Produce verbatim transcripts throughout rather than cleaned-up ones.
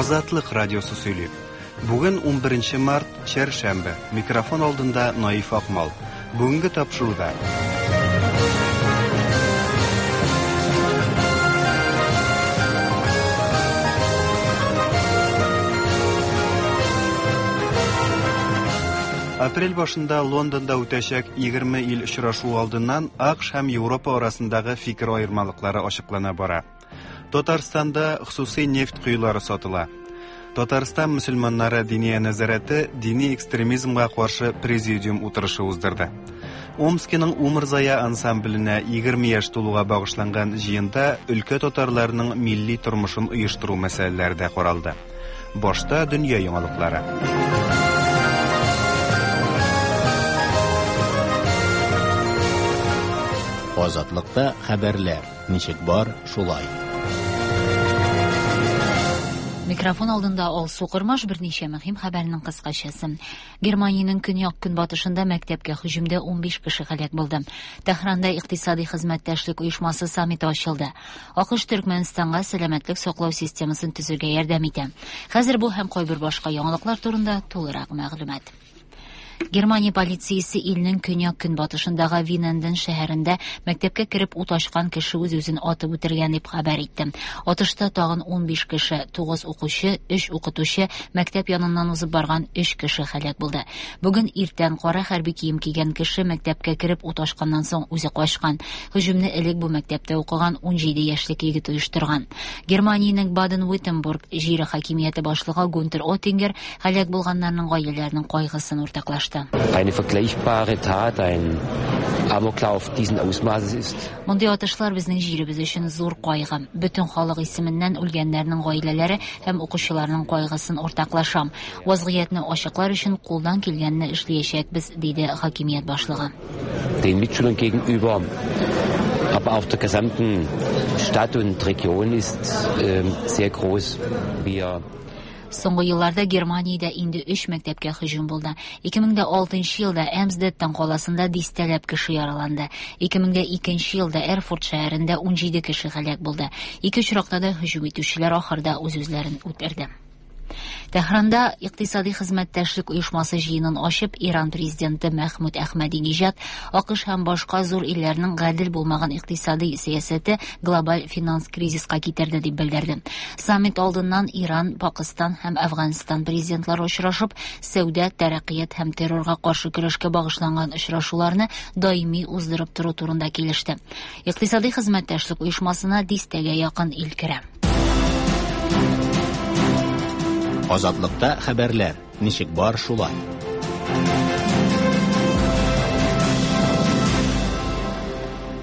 Азатлык радиосы сөйли. Бүген унберенче март, чәршәмбе. Микрофон алдында Наиф Акмал. Бүгенге тапшыруда Апрель башында Лондонда үтәчәк егерме ил очрашуы алдыннан АКШ һәм Европа арасындагы фикер аермалыклары ачыклана бара. Татарстанда хосусый нефть коелары сатыла. Татарстан мөселманнары диния нәзарәте дини экстремизмга каршы президиум утырышы уздырды. Омскиның Умырзая ансамбленә егерме яшь тулуга багышланган җыенда өлкә татарларының милли тормышын оештыру мәсьәләләре дә каралды. Башта дөнья яңалыклары. Азатлыкта хәбәрләр ничек бар, шулай. Микрофон алдында Алсу Кырмаш, берничә мөһим хәбәрнең кыскачасы. Германиянең көньяк-көнбатышында мәктәпкә һөҗүмдә унбиш кеше һәлак булды. Тәһранда икътисади хезмәттәшлек оешмасы саммиты ачылды. АКШ Төркмәнстанга сәламәтлек саклау системасын төзергә ярдәм итә. Хәзер бу һәм кайбер башка яңалыклар турында тулырак мәгълүмат. Германия полициясе илнең көньяк-көнбатышындагы Виненден шәһәрендә мәктәпкә кереп ут ачкан кеше үз-үзен атып үтергән дип хәбәр итте. Атышта тагын унбиш кеше, тугыз укучы, өч укытучы, мәктәп яныннан узып барган өч кеше һәлак булды. Бүген иртән кара хәрби кием кигән кеше мәктәпкә кереп ут ачканнан соң үзе качкан. Һөҗүмне элек бу мәктәптә укыган унҗиде яшьлек егет оештырган. Германиянең Баден-Виттенбург җире хакимияте башлыгы Гунтер Оттингер һәлак булганнарның гаиләләренең кайгысын уртаклашты. Eine vergleichbare Tat, ein Amoklauf diesen Ausmaßes ist. Мондый атышлар безнең җиребез өчен зур кайгы. Бөтен халык исеменнән үлгәннәрнең гаиләләре һәм укучыларның кайгысын уртаклашам. Вазгыятьне ачыклар өчен кулдан килгәнне эшләячәкбез, диде хакимият башлыгы. Den Mitschülern gegenüber, aber auch der gesamten Stadt und Region ist, ähm, sehr groß. Wir Соңгы елларда Германиядә инде өч мәктәпкә һөҗүм булды. Ике мең дә алтынчы елда Эмсдеттен каласында дистәләп кеше яраланды. Ике мең дә икенче елда Эрфурт шәһәрендә унҗиде кеше һәлак булды. Ике очракта да һөҗүм итүчеләр ахырда үз-үзләрен үтерде. Тәһранда икътисади хезмәттәшлек оешмасы җыенын ачып, Иран президенты Мәхмүд Әхмәдинежад АКШ һәм башка зур илләрнең гадел булмаган икътисади сәясәте глобаль финанс кризиска китерде дип белдерде. Саммит алдыннан Иран, Пакистан һәм Әфганстан президентлары очрашып, сәүдә, тәрәккыят һәм террорга каршы көрәшкә багышланган очрашуларны даими уздырып тору турында килеште. Икътисади хезмәттәшлек оешмасына дистәгә якын ил керә. Азатлыкта хәбәрләр ничек бар, шулай.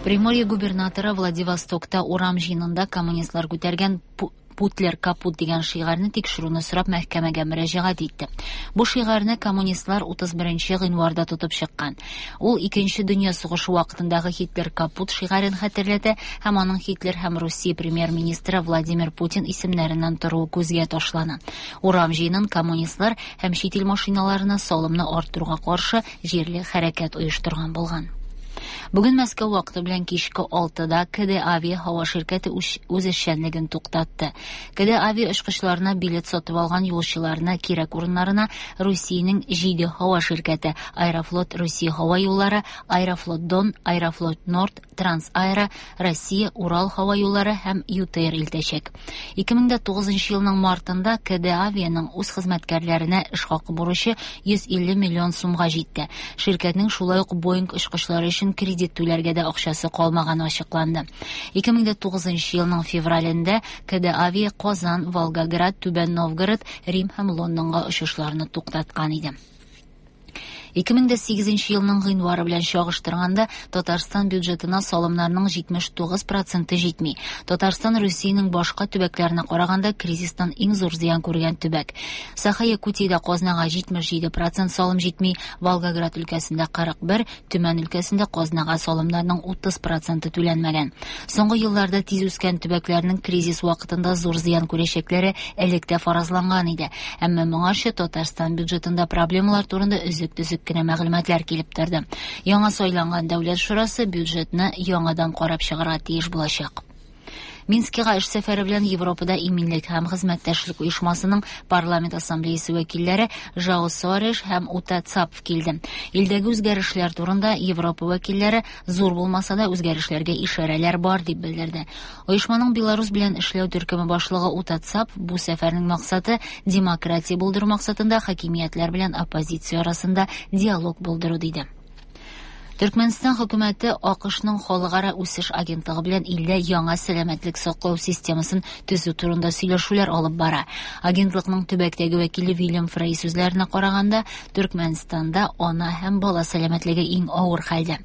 Приморье губернаторы Владивостокта урам җыенында коммунистлар күтәргән Пу-, Путлер капут дигән шигарны тикшерүне сорап мәхкәмәгә мөрәҗәгать итте. Бу шигарны коммунистлар утыз беренче гыйнварда тотып чыккан. Ул Икенче дөнья сугышы вакытындагы Һитлер капут шигарен хәтерләтә һәм аның Һитлер һәм Русия премьер-министры Владимир Путин исемнәреннән торуы күзгә ташлана. Урам җыенын коммунистлар һәм чит ил машиналарына салымны арттыруга каршы җирле хәрәкәт оештырган булган. Бүген Мәскәү вакыты белән кичке алтыда К Д Авиа һава ширкәте үз, үз эшчәнлеген туктатты. К Д Авиа очкычларына билет сатып алган юлчыларны кирәк урыннарына Русиянең җиде һава ширкәте Аэрофлот Русия һава юллары, Аэрофлот Дон, Аэрофлот Норд, Трансаэро, Россия, Урал һава юллары һәм ЮТР илтәчәк. Ике мең дә тугызынчы елның мартында К Д Авианың үз хезмәткәрләренә эш хакы бурычы йөз илле миллион сумга җитте. Ширкәтнең шулай ук Боинг очкычлары өчен кредит түләргә дә акчасы калмаганы ачыкланды. Ике мең дә тугызынчы елның февралендә К Д Авиа Казан, Волгоград, Түбән Новгород, Рим һәм Лондонга очышларны туктаткан иде. Ике мең дә сигезенче елның гыйнвары белән чагыштырганда Татарстан бюджетына салымнарның җитмеш тугыз проценты җитми. Татарстан Русиянең башка төбәкләренә караганда кризистан иң зур зыян күргән төбәк. Саха-Якутиядә казнага җитмеш җиде процент салым җитми, Волгоград өлкәсендә кырык бер, Төмән өлкәсендә казнага салымнарның утыз проценты түләнмәгән. Соңгы елларда тиз үскән төбәкләрнең кризис вакытында зур зыян күрәчәкләре элек тә фаразланган иде. Әмма моңарчы Татарстан бюджетында проблемалар турында өзек-төзек кенә мәгълүматлар килеп торды. Яңа сайланган Дәүләт шурасы бюджетны яңадан карап чыгарга тиеш булачак. Минскига эш сәфәре белән Европада иминлек һәм хезмәттәшлек оешмасының парламент ассамблеясы вәкилләре Жао Соареш һәм Ута Цапф килде. Илдәге үзгәрешләр турында Европа вәкилләре зур булмаса да үзгәрешләргә ишарәләр бар дип белдерде. Оешманың Беларус белән эшләү төркеме башлыгы Ута Цапф бу сәфәрнең максаты демократия булдыру максатында хакимиятләр белән оппозиция арасында диалог булдыру диде. Төркмәнстан хөкүмәте АКШның халыкара үсеш агентлыгы белән илдә яңа сәламәтлек саклау системасын төзү турында сөйләшүләр алып бара. Агентлыкның төбәктәге вәкиле Вильям Фрей сүзләренә караганда, Төркмәнстанда ана һәм бала сәламәтлеге иң авыр хәлдә.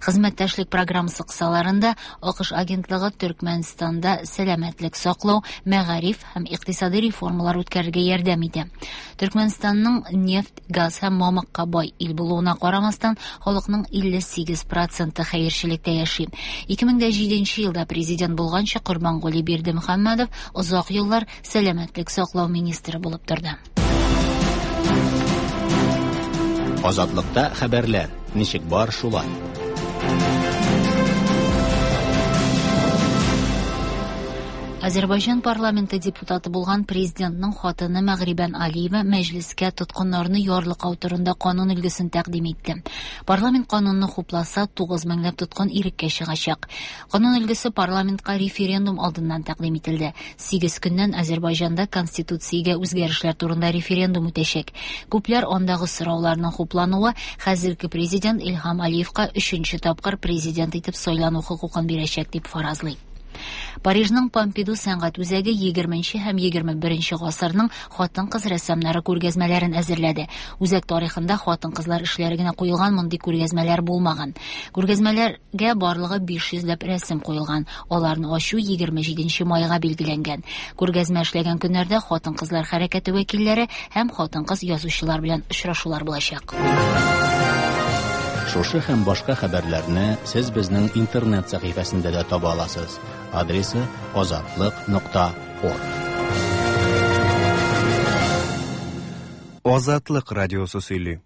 Хезмәттәшлек программасы кысаларында АКШ агентлыгы Төркмәнстанда сәламәтлек саклау, мәгариф һәм икътисади реформалар үткәрергә ярдәм итә. Төркмәнстанның нефть, газ һәм мамыкка бай ил булуына карамастан, халыкның илле сигез проценты хәерчелектә яши. ике мең дә җиденче елда президент булганчы Корбанголи Бердымөхәммәдов озак еллар сәламәтлек саклау министры булып торды. Азатлыкта хәбәрләр ничек бар шулай. Азербайҗан парламенты депутаты булган президентның хатыны Мәгърибән Алиева мәҗлескә тоткыннарны ярлыкау турында канун өлгесен тәкъдим итте. Парламент канунны хупласа, тугыз меңләп тоткын иреккә чыгачак. Канун өлгесе парламентка референдум алдыннан тәкъдим ителде. Сигез көннән Азербайҗанда конституциягә үзгәрешләр турында референдум үтәчәк. Күпләр андагы сорауларның хуплануы хәзерге президент Илһам Алиевка өченче тапкыр президент итеп сайлану хокукын бирәчәк дип фаразлый. Парижның Помпиду сәнгать үзәге егерменче һәм егерме беренче гасырның хатын-кыз рәссамнары күргәзмәләрен әзерләде. Үзәк тарихында хатын-кызлар эшләре генә куелган мондый күргәзмәләр булмаган. Күргәзмәләргә барлыгы биш йөзләп рәсем куелган. Аларны ачу егерме җиденче майга билгеләнгән. Күргәзмә эшләгән көннәрдә хатын-кызлар хәрәкәте вәкилләре һәм хатын-кыз язучылар белән очрашулар булачак. Шушы һәм башка хәбәрләрне сез безнең интернет сәхифәсендә дә таба аласыз. Адресы азатлык нокта орг. Азатлык радиосы сөйли.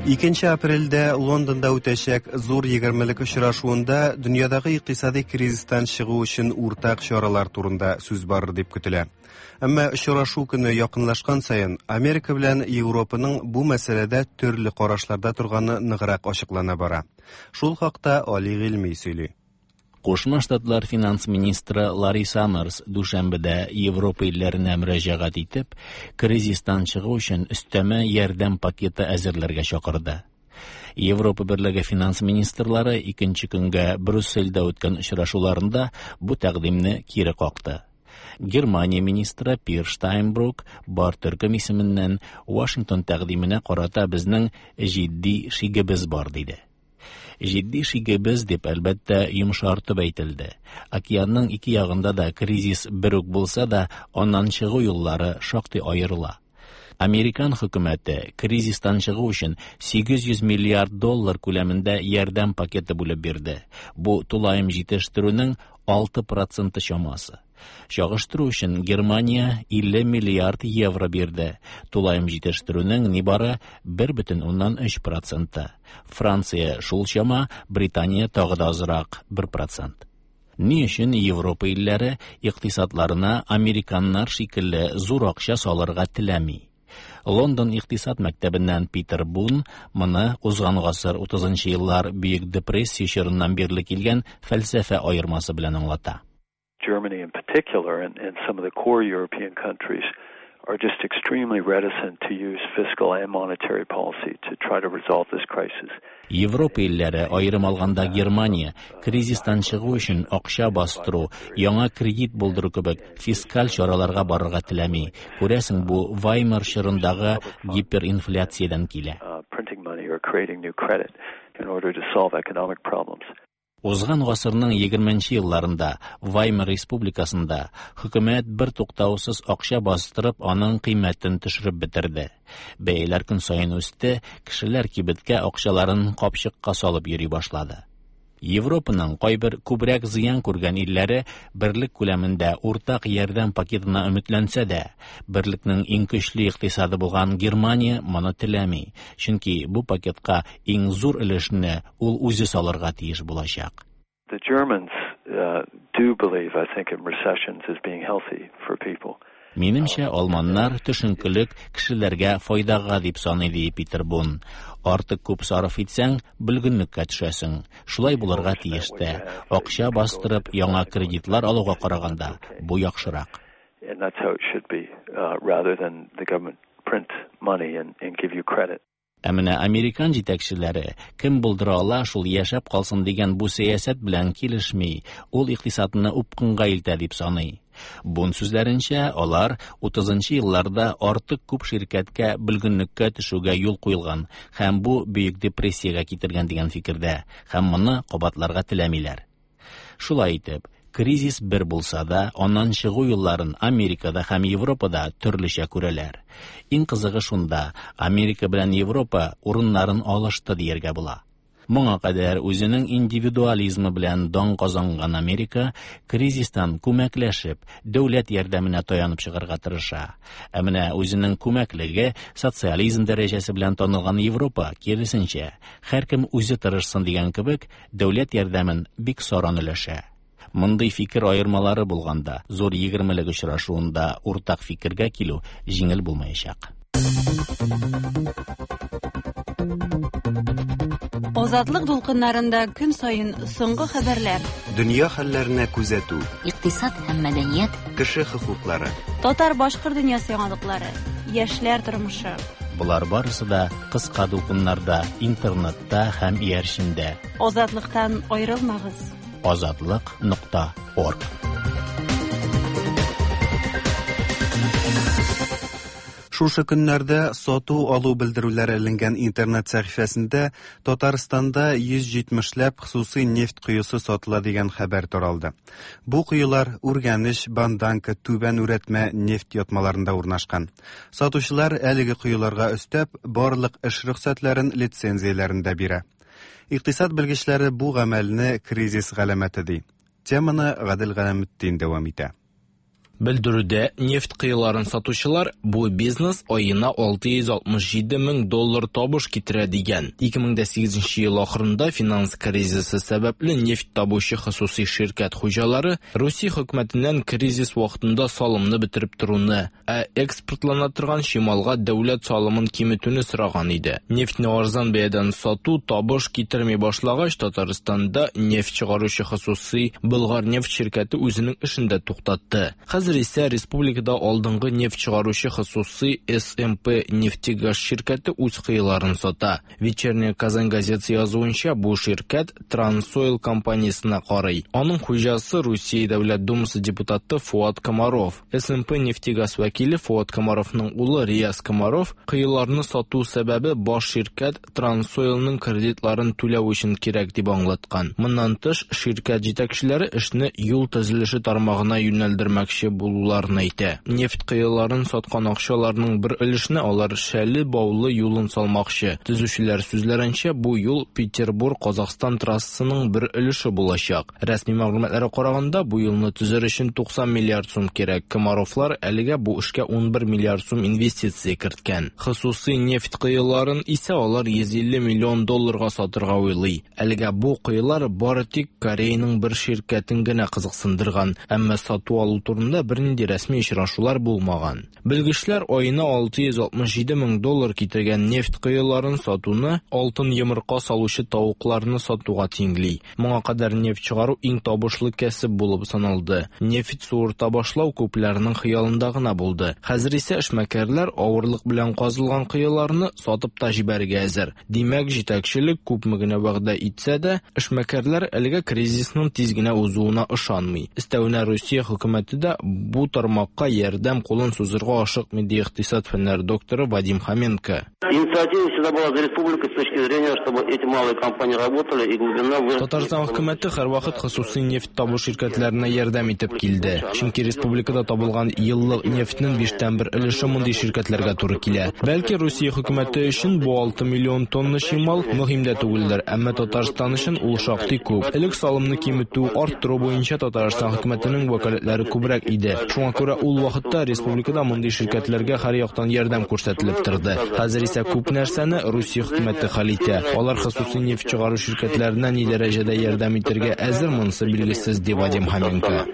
Икенче апрельдә Лондонда үтәчәк зур егермелек очрашуында дөньядагы икътисади кризистан чыгу өчен уртак чаралар турында сүз барыр дип көтелә. Әмма очрашу көне якынлашкан саен Америка белән Европаның бу мәсьәләдә төрле карашларда торганы ныграк ачыклана бара. Шул хакта Али Гыйльми сөйли. Кушма Штатлар финанс министры Ларри Саммерс дүшәмбедә Европа илләренә мөрәҗәгать итеп, кризистан чыгу өчен өстәмә ярдәм пакеты әзерләргә чакырды. Европа Берлеге финанс министрлары икенче көнгә Брюссельдә үткән очрашуларында бу тәкъдимне кире какты. Германия министры Пир Штайнбрук бар төркем исеменнән Вашингтон тәкъдименә карата безнең җитди шигебез бар диде. Җитди шигебез дип әлбәттә йомшартып әйтелде. Океанның ике ягында да кризис бер үк булса да, аннан чыгу юллары шактый аерыла. Американ хөкүмәте кризистан чыгу өчен сигез йөз миллиард доллар күләмендә ярдәм пакеты бүлеп бирде. Бу тулаем җитештерүнең алты проценты чамасы. Чагыштыру өчен Германия илле миллиард евро бирде. Тулаем җитештерүнең нибары бер бөтен уннан өч проценты. Франция шул чама, Британия тагы да азрак бер процент. Ни өчен Европа илләре икътисадларына американнар шикелле зур акча салырга теләми? Лондон икътисад мәктәбеннән Питер Бун моны узган гасыр утызынчы еллар Бөек депрессия чорыннан бирле килгән фәлсәфә аермасы белән аңлата. Germany in particular and, and some of the core European countries are just extremely reticent to use fiscal and monetary policy to try to resolve this crisis. Европа илләре, аерым алганда Германия, кризистан чыгу өчен акча бастыру, яңа кредит булдыру кебек фискаль чараларга барырга теләми. Күрәсең, бу Ваймар чорындагы гиперинфляциядән килә. Printing money or creating new credit in order to solve economic problems. Узган гасырның егерменче елларында Ваймар республикасында хөкүмәт бер туктаусыз акча бастырып, аның кыйммәтен төшереп бетерде. Бәяләр көн саен үсте, кешеләр кибеткә акчаларын капчыкка салып йөри башлады. Европаның кайбер күбрәк зыян күргән илләре берлек күләмендә уртак ярдәм пакетына өметләнсә дә, берлекнең иң көчле икътисады булган Германия моны теләми, чөнки бу пакетка иң зур өлешне ул үзе салырга тиеш булачак. The Germans uh, do believe, I think, in recessions as being healthy for people. Минемчә, алманнар төшенкелек кешеләргә файдага дип саный, ди Питер Бун. Артык күп сарыф итсәң, бөлгенлеккә төшәсең. Шулай булырга тиеш тә. Акча бастырып яңа кредитлар алуга караганда бу яхшырак. And that's how it should be, uh, rather than the government print money and, and give you credit. Ә менә американ җитәкчеләре кем булдыра ала, шул яшәп калсын дигән бу сәясәт белән килешми, ул икътисадны упкынга илтә дип саный. Бун сүзләренчә, алар утызынчы елларда артык күп ширкәткә бөлгенлеккә төшүгә юл куелган һәм бу бөек депрессиягә китергән дигән фикердә, һәм моны кабатларга теләмиләр. Шулай итеп, кризис бер булса да, аннан чыгу юлларын Америкада һәм Европада төрлечә күрәләр. Иң кызыгы шунда, Америка белән Европа урыннарын алышты дияргә була. Моңа кадәр үзенең индивидуализмы белән дан казанган Америка кризистан күмәкләшеп, дәүләт ярдәменә таянып чыгарга тырыша. Ә менә үзенең күмәклеге социализм дәрәҗәсе белән танылган Европа, киресенчә, һәркем үзе тырышсын дигән кебек, дәүләт ярдәмен бик саран өләшә. Мондый фикер аермалары булганда, зур егермелек очрашуында уртак фикергә килү җиңел булмаячак. Азатлык дулкыннарында көн саен соңгы хәбәрләр, дөнья хәлләренә күзәтү, икътисад һәм мәдәният, кеше хокуклары, татар-башкорт дөньясы яңалыклары, яшьләр тормышы. Болар барысы да кыска дулкыннарда, интернетта һәм иярчендә. Азатлыктан аерылмагыз. Азатлык нокта орг. Шушы көннәрдә сату-алу белдерүләре эленгән интернет сәхифәсендә Татарстанда йөз җитмешләп хосусый нефть коесы сатыла дигән хәбәр таралды. Бу коелар Үргәнеч, Банданка, Түбән Үрәтмә нефть ятмаларында урнашкан. Сатучылар әлеге коеларга өстәп барлык эш рөхсәтләрен, лицензияләрен дә бирә. Икътисад белгечләре бу гамәлне кризис галәмәте ди. Теманы Гадел Галәметдин дәвам итә. Белдерүдә нефть кыйларын сатучылар бу бизнес аена алты йөз алтмыш җиде мең доллар табыш китерә дигән. ике мең дә сигезенче ел ахырында финанс кризисы сәбәпле нефть табучы хосусый ширкәт хуҗалары Русия хөкүмәтеннән кризис вакытында салымны бетереп торуны, ә экспортлана торган чималга дәүләт салымын киметүне сораган иде. Нефтьне арзан бәядән сату табыш китерми башлагач, Татарстанда нефть чыгаручы хосусый Болгар нефть ширкәте үзенең эшен дә туктатты. Хәзер исә республикада алдынгы нефть чыгаручы хосусый эс эм пэ нефтегаз ширкәте үз кыйларын сата. Вечерняя Казань газетасы язуынча, бу ширкәт Трансойл компаниясенә карый. Аның хуҗасы Русия Дәүләт Думасы депутаты Фуат Комаров. эс эм пэ нефтегаз вәкиле Фуат Комаровның улы Рияз Комаров кыйларны сату сәбәбе баш ширкәт Трансойлның кредитларын түләү өчен кирәк дип аңлаткан. Моннан тыш, ширкәт җитәкчеләре эшне юл төзелеше тармагына юнәлдермәкче булуларын әйтә. Нефть кыйларын саткан акчаларның бер өлешен алар Шәле Баулы юлын салмакчы. Төзүчеләр сүзләренчә, бу юл Петербург-Казахстан трассасының бер өлеше булачак. Рәсми мәгълүматларга караганда, бу юлны төзер өчен туксан миллиард сум кирәк. Комаровлар әлегә бу эшкә унбер миллиард сум инвестиция керткән. Хосусый нефть кыйларын исә алар йөз илле миллион долларга сатырга уйлый. Әлегә бу кыйлар бары тик Кореяның бер ширкәтен генә кызыксындырган, әмма сату алу турында бернинди рәсми очрашулар булмаган. Белгечләр аена алты йөз алтмыш җиде мең доллар китергән нефть кыйларын сатуны алтын йомырка салучы тавыкларны сатуга тиңли. Моңа кадәр нефть чыгару иң табышлы кәсеп булып саналды. Нефть суырта башлау күпләрнең хыялында гына булды. Хәзер исә эшмәкәрләр авырлык белән казылган кыйларны сатып та җибәрергә әзер. Димәк, җитәкчелек күпме генә вәгъдә итсә дә, эшмәкәрләр әлегә кризисның тиз генә узуына ышанмый. Өстәвенә Русия хөкүмәте дә бу тармакка ярдәм кулын сузырга ашыкмый, ди икътисад фәннәре докторы Вадим Хоменко. Инициатива всегда была за республикой с точки зрения, чтобы эти малые компании работали и глубина выросла. Татарстан хөкүмәте һәрвакыт хосусый нефть табу ширкәтләренә ярдәм итеп килде. Чөнки республикада табылган еллык нефтьнең биштән бер өлеше мондый ширкәтләргә туры килә. Бәлки Русия хөкүмәте өчен бу алты миллион тонна чимал мөһим дә түгелдер, әмма Татарстан өчен ул шактый күп. Элек салымны киметү, арттыру буенча Татарстан хөкүмәтенең вәкаләтләре күбрәк иде. Шуңа күрә ул вакытта республикада мондый ширкәтләргә һәр яктан ярдәм күрсәтелеп торды. Хәзер исә күп нәрсәне Русия хөкүмәте хәл итә. Алар хосусый нефть чыгару ширкәтләренә ни дәрәҗәдә ярдәм итәргә әзер, монысы билгесез, ди Вадим Хоменко.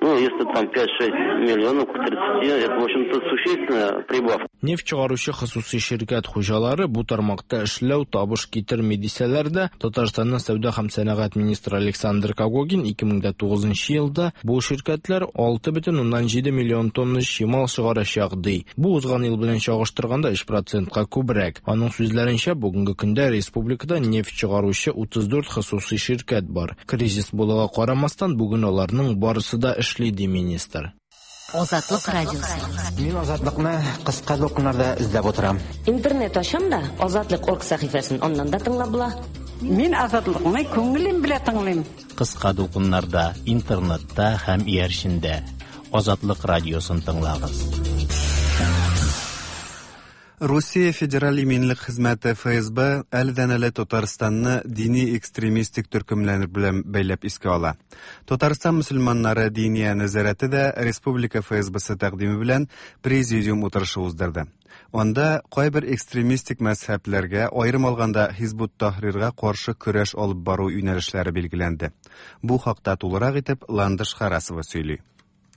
Ну, если там пять-шесть миллионов к тридцати, это, в общем-то, существенная прибавка. Нефть чыгаручы хосусый ширкәт хуҗалары бу тармакта эшләү табыш китерми дисәләр дә, Татарстанның сәүдә һәм сәнәгать министры Александр Когогин ике мең дә тугызынчы елда бу ширкәтләр алты бөтен уннан җиде миллион тонна чимал чыгарачак ди. Бу узган ел белән чагыштырганда өч процентка күбрәк. Аның сүзләренчә, бүгенге көндә республикада нефть чыгаручы утыз дүрт хосусый ширкәт бар. Кризис булуга карамастан, бүген аларның барысы да эшли, ди министр. Азатлык радиосы. Мин Азатлыкны кыска дулкыннарда эзләп утырам. Интернет ачам да, Азатлык орг сәхифәсен аннан да тыңлап була. Мин Азатлыкны күңелем белән тыңлыйм. Кыска дулкыннарда, интернетта һәм иярчендә Азатлык радиосын тыңлагыз. Русия Федераль иминлек хезмәте Эф Эс Бэ әледән-әле Татарстанны дини экстремистик төркемнәр белән бәйләп искә ала. Татарстан мөселманнары диния нәзарәте дә республика Эф Эс Б-сы тәкъдиме белән президиум утырышы уздырды. Анда кайбер экстремистик мәзһәбләргә, аерым алганда Хизбут Тахрирга каршы көрәш алып бару юнәлешләре билгеләнде. Бу хакта тулырак итеп Ландыш Харасова сөйли.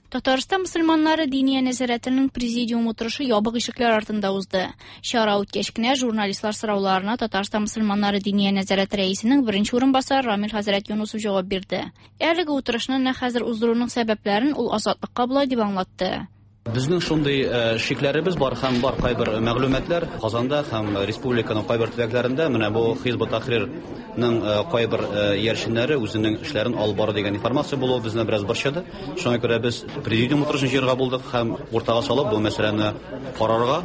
Татарстан мөселманнары диния нәзарәтенең президиум утырышы ябык ишекләр артында узды. Чара үткәч кенә журналистлар сорауларына Татарстан мөселманнары диния нәзарәте рәисенең беренче урынбасары Рамил хәзрәт Юнусов җавап бирде. Әлеге утырышны нәкъ хәзер уздыруның сәбәпләрен ул Азатлыкка болай дип аңлатты. Безнең шундый, э, шикләребез бар һәм бар кайбер мәгълүматлар Казанда һәм республиканың кайбер төбәкләрендә менә бу Хизбут Тахрирның, э, кайбер, э, иярченнәре үзенең эшләрен алып бара дигән информация булуы безне бераз борчыды. Шуңа күрә без президиум утырышын җыярга булдык һәм уртага салып бу мәсьәләне карарга,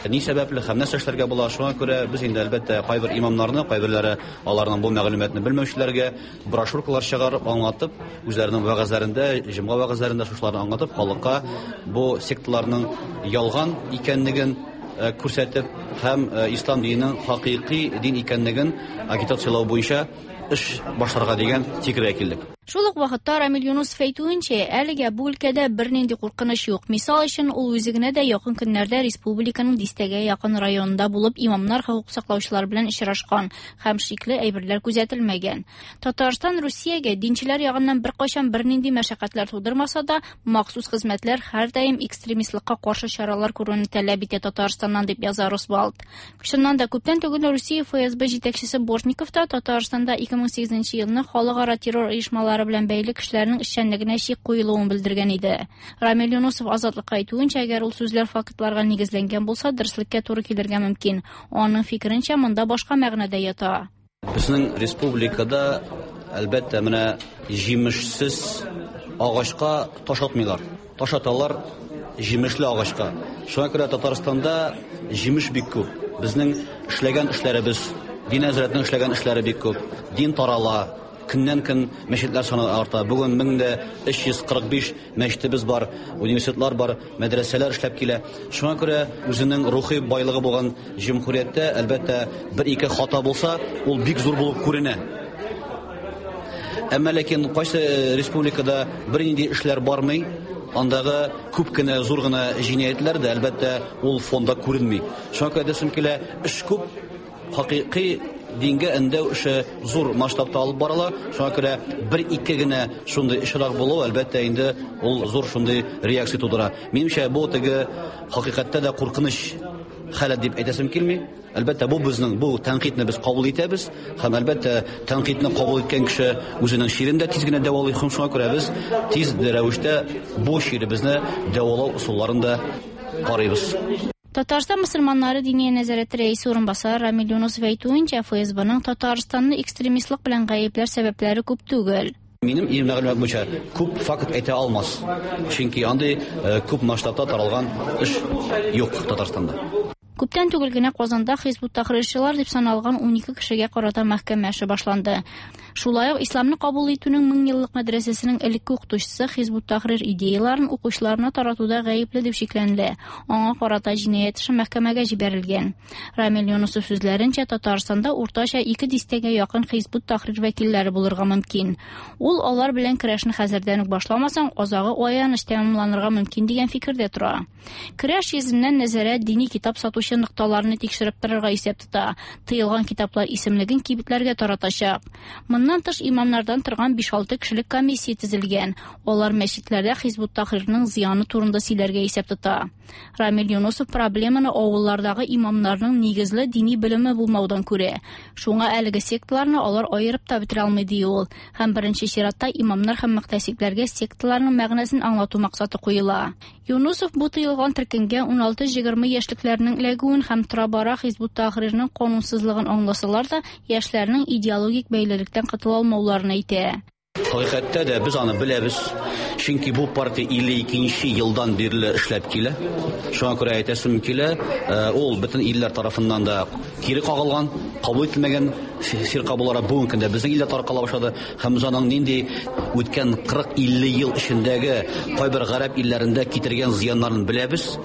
ни сәбәпле һәм нәрсә эшләргә була. Шуңа күрә без инде әлбәттә кайбер имамнарны, кайберләре аларның бу мәгълүматны белмәүчеләргә брошюркалар чыгарып аңлатып, үзләренең вәгазьләрендә, җомга вәгазьләрендә шушыларны аңлатып, халыкка бу секталарның ялган икәнлеген, э, күрсәтеп һәм, э, ислам диненең хакыйкый дин икәнлеген агитацияләү буенча эш башларга дигән фикергә килдек. Шул ук вакытта Рамил Юнусов әйтүенчә, әлегә бу өлкәдә бернинди куркыныч юк. Мисал өчен, ул үзе генә дә якын көннәрдә республиканың дистәгә якын районында булып, имамнар хокук саклаучылар белән очрашкан һәм шикле әйберләр күзәтелмәгән. Татарстан Русиягә динчеләр ягыннан беркайчан бернинди мәшәкатьләр тудырмаса да, махсус хезмәтләр һәрдаим экстремистлыкка каршы чаралар күрүне таләп итә Татарстаннан, дип яза Росбалт. Чыннан да күптән түгел Русия Эф Эс Бэ җитәкчесе Бортников та Татарстанда ике мең сигезенче елны халыкара террор оешмалары белән бәйле кешеләрнең эшчәнлегенә шик куелуын белдергән иде. Рамил Юнусов Азатлыкка әйтүенчә, әгәр ул сүзләр фактларга нигезләнгән булса, дөреслеккә туры килергә мөмкин. Аның фикеренчә, монда башка мәгънә дә ята. Безнең республикада әлбәттә менә җимешсез агачка таш атмыйлар. Таш аталар җимешле агачка. Шуңа күрә Татарстанда җимеш бик күп. Безнең эшләгән эшләребез, дин нәзарәтенең эшләгән эшләре бик күп. Дин тарала, көннән көн мәчетләр саны арта. Бүген мең дә өч йөз кырык биш мәчетебез бар, университетлар бар, мәдрәсәләр эшләп килә. Шуңа күрә үзенең рухи байлыгы булган җөмһүрияттә, әлбәттә, бер-ике хата булса, ул бик зур булып күренә. Әмма ләкин кайсы республикада бернинди эшләр бармый, андагы күп кенә зур гына җинаятьләр дә, әлбәттә, ул фонда күренми. Шуңа күрә әйтәсем килә, эш күп, хакыйкый дингә өндәү эше зур масштабта алып барыла. Шуңа күрә бер-ике генә шундый очрак булу, әлбәттә, инде ул зур шундый реакция тудыра. Минемчә, бу теге хакыйкатьтә дә куркыныч халәт дип әйтәсем килми. Әлбәттә, бу безнең, бу тәнкыйтьне без кабул итәбез һәм әлбәттә тәнкыйтьне кабул иткән кеше үзенең чирен дә тиз генә дәвалый. Һәм шуңа күрә без тиз рәвештә бу чиребезне дәвалау ысулларын да карыйбыз. Татарстан мөселманнары диния нәзарәте рәисе урынбасары Рамил Юнусов әйтүенчә, Эф Эс Б-ның Татарстанны экстремистлык белән гаепләр сәбәпләре күп түгел. Минем мәгълүмат буенча күп факт әйтә алмас. Чөнки андый күп масштабта таралган эш юк Татарстанда. Күптән түгел генә Казанда Хизб ут-Тәхрирчылар дип саналган ун ике кешегә карата мәхкәмә эше башланды. Шулай ук исламны кабул итүнең мең еллык мәдрәсәсенең элекке укытучысы Хизб ут-Тәхрир идеяларын укучыларына таратуда гаепле дип шикләнелә. Аңа карата җинаять эше мәхкәмәгә җибәрелгән. Рамил Юнусов сүзләренчә, Татарстанда уртача ике дистәгә якын Хизб ут-Тәхрир вәкилләре булырга мөмкин. Ул алар белән көрәшне хәзердән үк башламасаң, азагы аяныч тәмамланырга мөмкин дигән фикердә тора. Көрәш йөзеннән нәзарәт дини китап сатучы нокталарны тикшереп торырга исәп тота. Тыелган китаплар исемлеген кибетләргә таратачак. Моннан тыш имамнардан торган биш-алты кешелек комиссия төзелгән. Алар мәчетләрдә Хизб ут-Тәхрирның зыяны турында сөйләргә исәп тота. Рамил Юнусов проблеманы авыллардагы имамнарның нигезле дини белеме булмаудан күрә. Шуңа әлеге секталарны алар аерып та бетерә алмый ди ул. Һәм беренче чиратта имамнар һәм мөхтәсибләргә секталарның мәгънәсен аңлату максаты куела. Юнусов бу тыелган төркемгә ун алты-егерме яшьлекләрнең эләгүен һәм тора-бара Хизб ут-Тәхрирның канунсызлыгын аңласалар да, яшьләрнең идеологик бәйлелектән котыла алмауларын әйтә. Хакыйкатьтә дә без аны беләбез. Чөнки бу партия илле икенче елдан бирле эшләп килә. Шуңа күрә әйтәсем килә, ул бөтен илләр тарафыннан да кире кагылган, кабул ителмәгән фирка буларак бүгенге көндә безнең илдә таркала башлады. Һәм без аның нинди үткән кырык-илле ел эчендәге кайбер гарәп илләрендә китергән зыяннарын беләбез.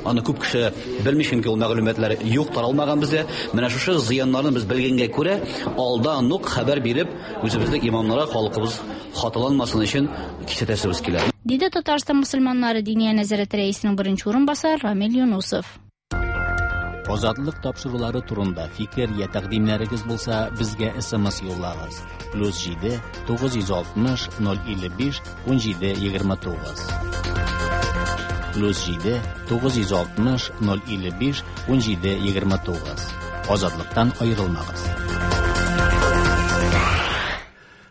Аны күп кеше белми, чөнки ул мәгълүматлар юк, таралмаган бездә. Менә шушы зыяннарны без белгәнгә күрә, алдан ук хәбәр биреп, үзебезнең имамнарга халкыбыз хаталанмасын өчен кисәтәсебез килә. Диде Татарстан мөселманнары Диния нәзарәте рәисенең беренче урынбасары Рамил Юнусов. Азатлык тапшырулары турында фикер я тәкъдимнәрегез булса, безгә эс эм эс юллагыз. Плюс җиде тугыз йөз алтмыш ноль илле биш ун җиде егерме тугыз. Плюс җиде тугыз йөз алтмыш ноль илле биш ун җиде егерме тугыз. Азатлыктан аерылмагыз.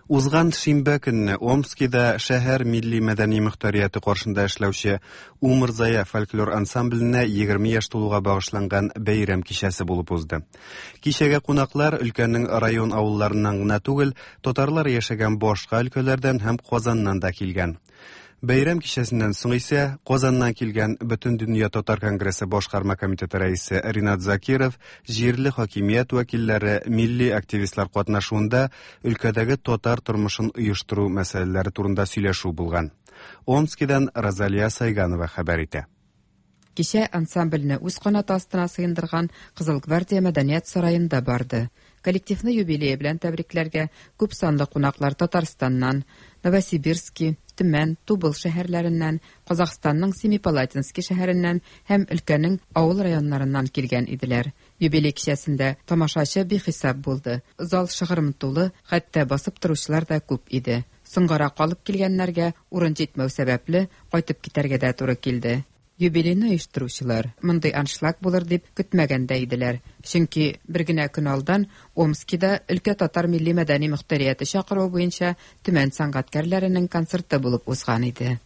Узган шимбә көнне Омскида шәһәр милли мәдәни мөхтәрияте каршында эшләүче Умырзая фольклор ансамбленә егерме яшь тулуга багышланган бәйрәм кичәсе булып узды. Кичәгә кунаклар өлкәнең район авылларыннан гына түгел, татарлар яшәгән башка өлкәләрдән һәм Казаннан да килгән. Бәйрәм кичәсеннән соң исә Казаннан килгән Бөтендөнья татар конгрессы башкарма комитеты рәисе Ринат Закиров, җирле хакимият вәкилләре, милли активистлар катнашуында өлкәдәге татар тормышын оештыру мәсьәләләре турында сөйләшү булган. Омскидан Розалия Сайганова хәбәр итә. Кичә ансамбльне үз канаты астына сыендырган Кызыл гвардия мәдәният сараенда барды. Коллективны юбилее белән тәбрикләргә күп санлы кунаклар Татарстаннан, Новосибирски, Төмән, Тубыл шәһәрләреннән, Казахстанның Семипалатинский шәһәреннән һәм өлкәнең авыл районнарыннан килгән иделәр. Юбилей кичәсендә тамашачы бихисап булды. Зал шыгрым тулы, хәтта басып торучылар да күп иде. Соңгарак калып килгәннәргә урын җитмәү сәбәпле кайтып китәргә дә туры килде. Юбилейны оештыручылар мондый аншлаг булыр дип көтмәгәндә иделәр. Чөнки бер генә көн алдан Омскида өлкә татар милли мәдәни мөхтәрияте чакыруы буенча Төмән сәнгатькәрләренең концерты булып узган иде.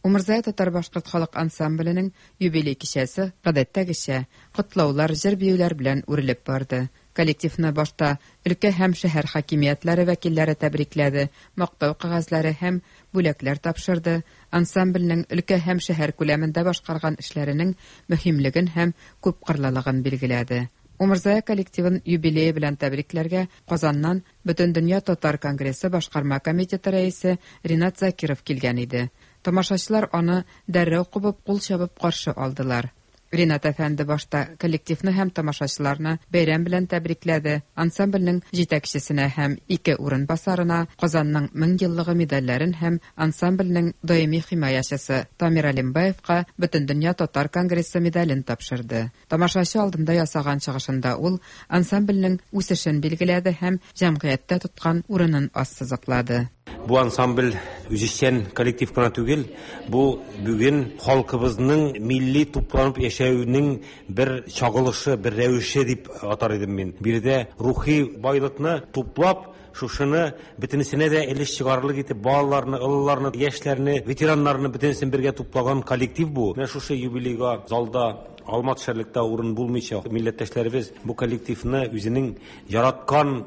Умырзая татар башкорт халык ансамбленең юбилей кичәсе гадәттәгечә котлаулар, җыр-биюләр белән үрелеп барды. Коллективны башта өлкә һәм шәһәр хакимиятләре вәкилләре тәбрикләде, мактау кәгазьләре һәм бүләкләр тапшырды. Ансамбльнең өлкә һәм шәһәр күләмендә башкарган эшләренең мөһимлеген һәм күпкырлылыгын билгеләде. Умырзая коллективын юбилее белән тәбрикләргә Казаннан Бөтендөнья татар конгрессы башкарма комитеты рәисе Ринат Закиров килгән иде. Тамашачылар аны дәррәү кубып, кул чабып каршы алдылар. Ринат әфәнде башта коллективны һәм тамашачыларны бәйрәм белән тәбрикләде. Ансамбльнең җитәкчесенә һәм ике урынбасарына Казанның мең еллыгы медальләрен һәм ансамбльнең даими химаячысы Тамир Алимбаевка Бөтендөнья татар конгрессы медален тапшырды. Тамашачы алдында ясаган чыгышында ул ансамбльнең үсешен билгеләде һәм җәмгыятьтә тоткан урынын ассызыклады. Бу ансамбль үзешчән коллектив кына түгел, бу бүген халкыбызның милли тупланып яшәүенең бер чагылышы, бер рәвеше дип атар идем мин. Биредә рухи байлыкны туплап, шушыны бөтенесенә дә элеш чыгарлык итеп, балаларны, олыларны, яшьләрне, ветераннарны бөтенесен бергә туплаган коллектив бу. Менә шушы юбилейга залда Алма төшәрлек тә урын булмыйча, милләттәшләребез бу коллективны үзенең яраткан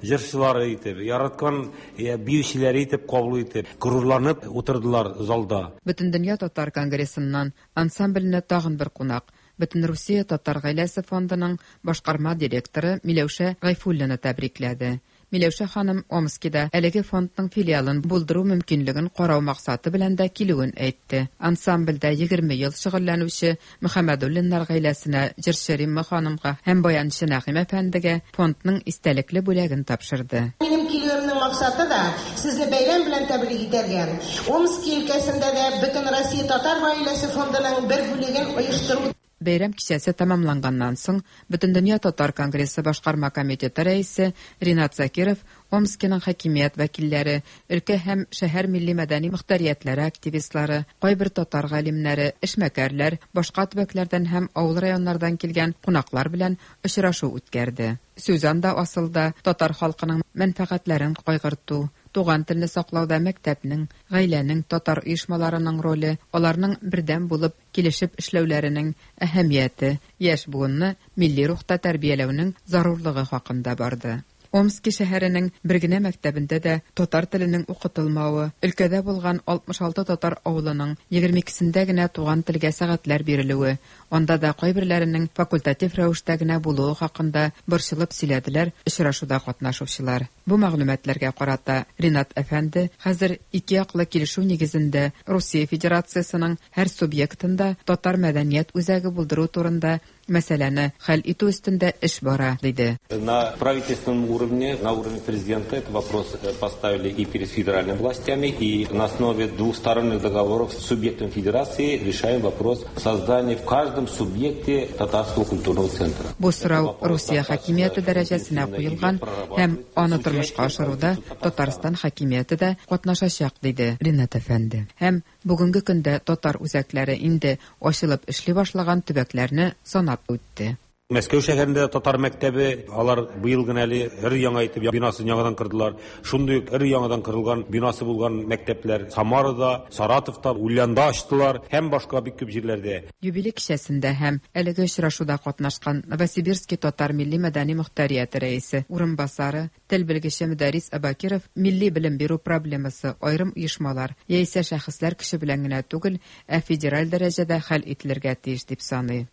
җырчылары итеп, яраткан биючеләре итеп кабул итеп, горурланып утырдылар залда. Бөтендөнья татар конгрессыннан ансамбльне тагын бер кунак, Бөтенрусия татар гаиләсе фондының башкарма директоры Миләүшә Гайфуллина тәбрикләде. Миләүшә ханым Омскида әлеге фондның филиалын булдыру мөмкинлеген карау максаты белән дә килүен әйтте. Ансамбльдә егерме ел шөгыльләнүче Мөхәммәдуллиннар гаиләсенә, җырчы Римма ханымга һәм баянчы Нәгыйм әфәндегә фондның истәлекле бүләген тапшырды. Минем килүемнең максаты да сезне бәйрәм белән тәбрик итәргә. Омски өлкәсендә дә Бөтен Россия татар гаиләсе фондының бер бүлеген оештыру. Бәйрәм кичәсе тәмамланганнан соң Бөтендөнья татар конгрессы башкарма комитеты рәисе Ринат Закиров Омскиның хакимият вәкилләре, өлкә һәм шәһәр милли мәдәни мөхтәриятләре активистлары, кайбер татар галимнәре, эшмәкәрләр, башка төбәкләрдән һәм авыл районнардан килгән кунаклар белән очрашу үткәрде. Сүз анда асылда татар халкының мәнфәгатьләрен кайгырту, туган телне саклауда мәктәпнең, гаиләнең, татар оешмаларының роле, аларның бердәм булып килешеп эшләүләренең әһәмияте, яшь буынны милли рухта тәрбияләүнең зарурлыгы хакында барды. Омски шәһәренең бер генә мәктәбендә дә татар теленең укытылмавы, өлкәдә булган алтмыш алты татар авылының егерме икесендә генә туган телгә сәгатьләр бирелүе, анда да кайберләренең факультатив рәвештә генә булуы хакында борчылып сөйләделәр очрашуда катнашучылар. Бу мәгълүматларга карата Ринат әфәнде хәзер ике яклы килешү нигезендә Русия Федерациясының һәр субъектында татар мәдәният үзәге булдыру турында мәсьәләне хәл итү өстендә эш бара, диде. На правительственном уровне, на уровне президента этот вопрос поставили и перед федеральными властями, и на основе двусторонних договоров с субъектом федерации решаем вопрос создания в каждом субъекте татарского культурного центра. Бу сорау Русия хакимияте дәрәҗәсенә куелган һәм аны тормышка ашыруда Татарстан хакимияте дә катнашачак, диде Ринат әфәнде. Һәм бүгенге көндә татар үзәкләре инде ачылып эшли башлаган төбәкләрне санап үтте. Мәскәү шәһәрендә татар мәктәбе, алар быел гына әле өр яңа итеп бинасын яңадан кырдылар. Шундый ук өр яңадан кырылган бинасы булган мәктәпләр Самарада, Саратовта, Ульянда ачтылар һәм башка бик күп җирләрдә. Юбилей кичәсендә һәм әлеге очрашуда катнашкан Новосибирский татар милли мәдәни мөхтәрияте рәисе урынбасары, тел белгече Мөдәррис Абакиров милли белем бирү проблемасы аерым оешмалар яисә шәхесләр көче белән генә түгел, ә федераль дәрәҗәдә хәл ителергә тиеш дип саный.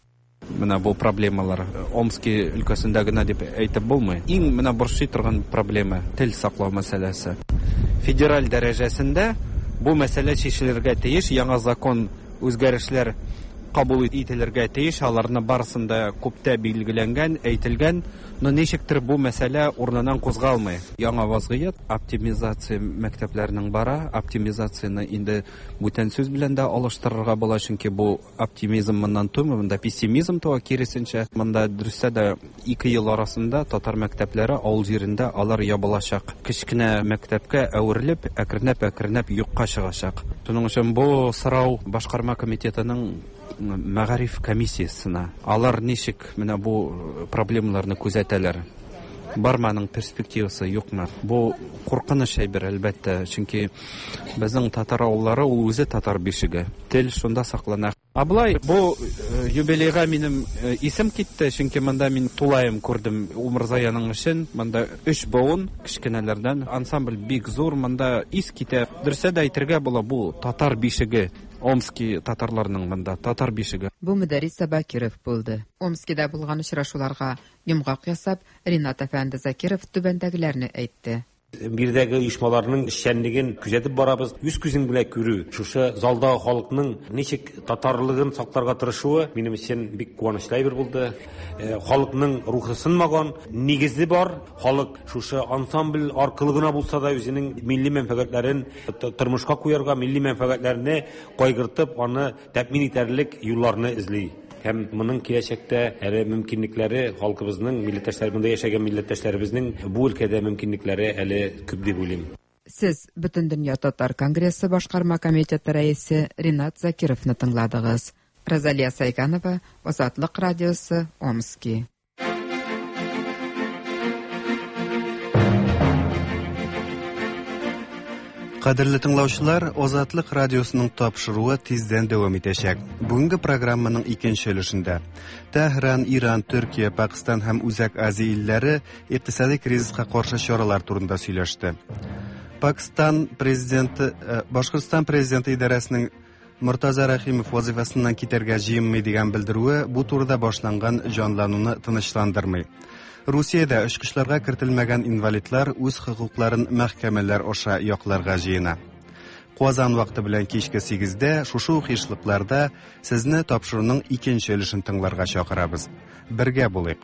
Менә бу проблемалар Омски өлкәсендә генә дип әйтеп булмый. Иң менә борчый торган проблема тел саклау мәсьәләсе. Федераль дәрәҗәсендә бу мәсьәлә чишелергә тиеш, яңа закон үзгәрешләр кабул ителергә тиеш, аларны барысын да күптә билгеләнгән, әйтелгән, но ничектер бу мәсьәлә урыныннан кузгалмый. Яңа вазгыять, оптимизация мәктәпләренең бара, оптимизацияне инде бүтән сүз белән дә алыштырырга була, чөнки бу оптимизм моннан тумый, монда пессимизм туа, киресенчә. Монда дөрестә дә ике ел арасында татар мәктәпләре авыл җирендә алар ябылачак. Кечкенә мәктәпкә әверелеп, әкренләп-әкренләп юкка чыгачак. Шуның өчен бу сорау башкарма комитетының мәгариф комиссиясына. Алар ничек менә бу проблемаларны күзәтәләр? Бармы аның перспективасы, юкмы? Бу куркыныч әйбер, әлбәттә, чөнки безнең татар авыллары ул үзе татар бишеге. Тел шунда саклана. Ә болай бу юбилейга минем исем китте, чөнки монда мин тулаем күрдем Умырзаяның эшен. Монда өч буын кечкенәләрдән ансамбль бик зур, монда ис китә. Дөресә дә әйтергә була, бу татар бишеге. Омски татарларының монда татар бишеге. Бу Мөдәррис Абакиров булды. Омскида булган очрашуларга йомгак ясап, Ринат әфәнде Закиров түбәндәгеләрне әйтте. Биредәге оешмаларның эшчәнлеген күзәтеп барабыз. Үз күзең белән күрү, шушы залдагы халыкның ничек татарлыгын сакларга тырышуы минем өчен бик куанычлы әйбер булды. Халыкның рухы сынмаган, нигезе бар. Халык шушы ансамбль аркылы гына булса да үзенең милли мәнфәгатьләрен тормышка куярга, милли мәнфәгатьләрне кайгыртып, аны тәэмин итәрлек юлларны эзли. Һәм моның киләчәктә әле мөмкинлекләре халкыбызның, милләттәшләр, монда яшәгән милләттәшләребезнең бу өлкәдә мөмкинлекләре әле күп дип уйлыйм. Сез Бөтендөнья татар конгрессы башкарма комитеты рәисе Ринат Закировны тыңладыгыз. Розалия Сайганова, Азатлык радиосы, Омски. Кадерле тыңлаучылар, Азатлык радиосының тапшыруы тиздән дәвам итәчәк. Бүгенге программаның икенче өлешендә Тәһран, Иран, Төркия, Пакистан һәм Үзәк Азия илләре икътисади кризиска каршы чаралар турында сөйләште. Пакистан президенты, э, Башкортстан президенты идарәсенең Мортаза Рәхимов вазифасыннан китәргә җыенмый дигән белдерүе бу турыда башланган җанлануны тынычландырмый. Русиядә очкычларга кертелмәгән инвалидлар үз хокукларын мәхкәмәләр аша якларга җыена. Казан вакыты белән кичке сигездә шушы ук ешлыкларда сезне тапшыруның икенче өлешен тыңларга чакырабыз. Бергә булыйк.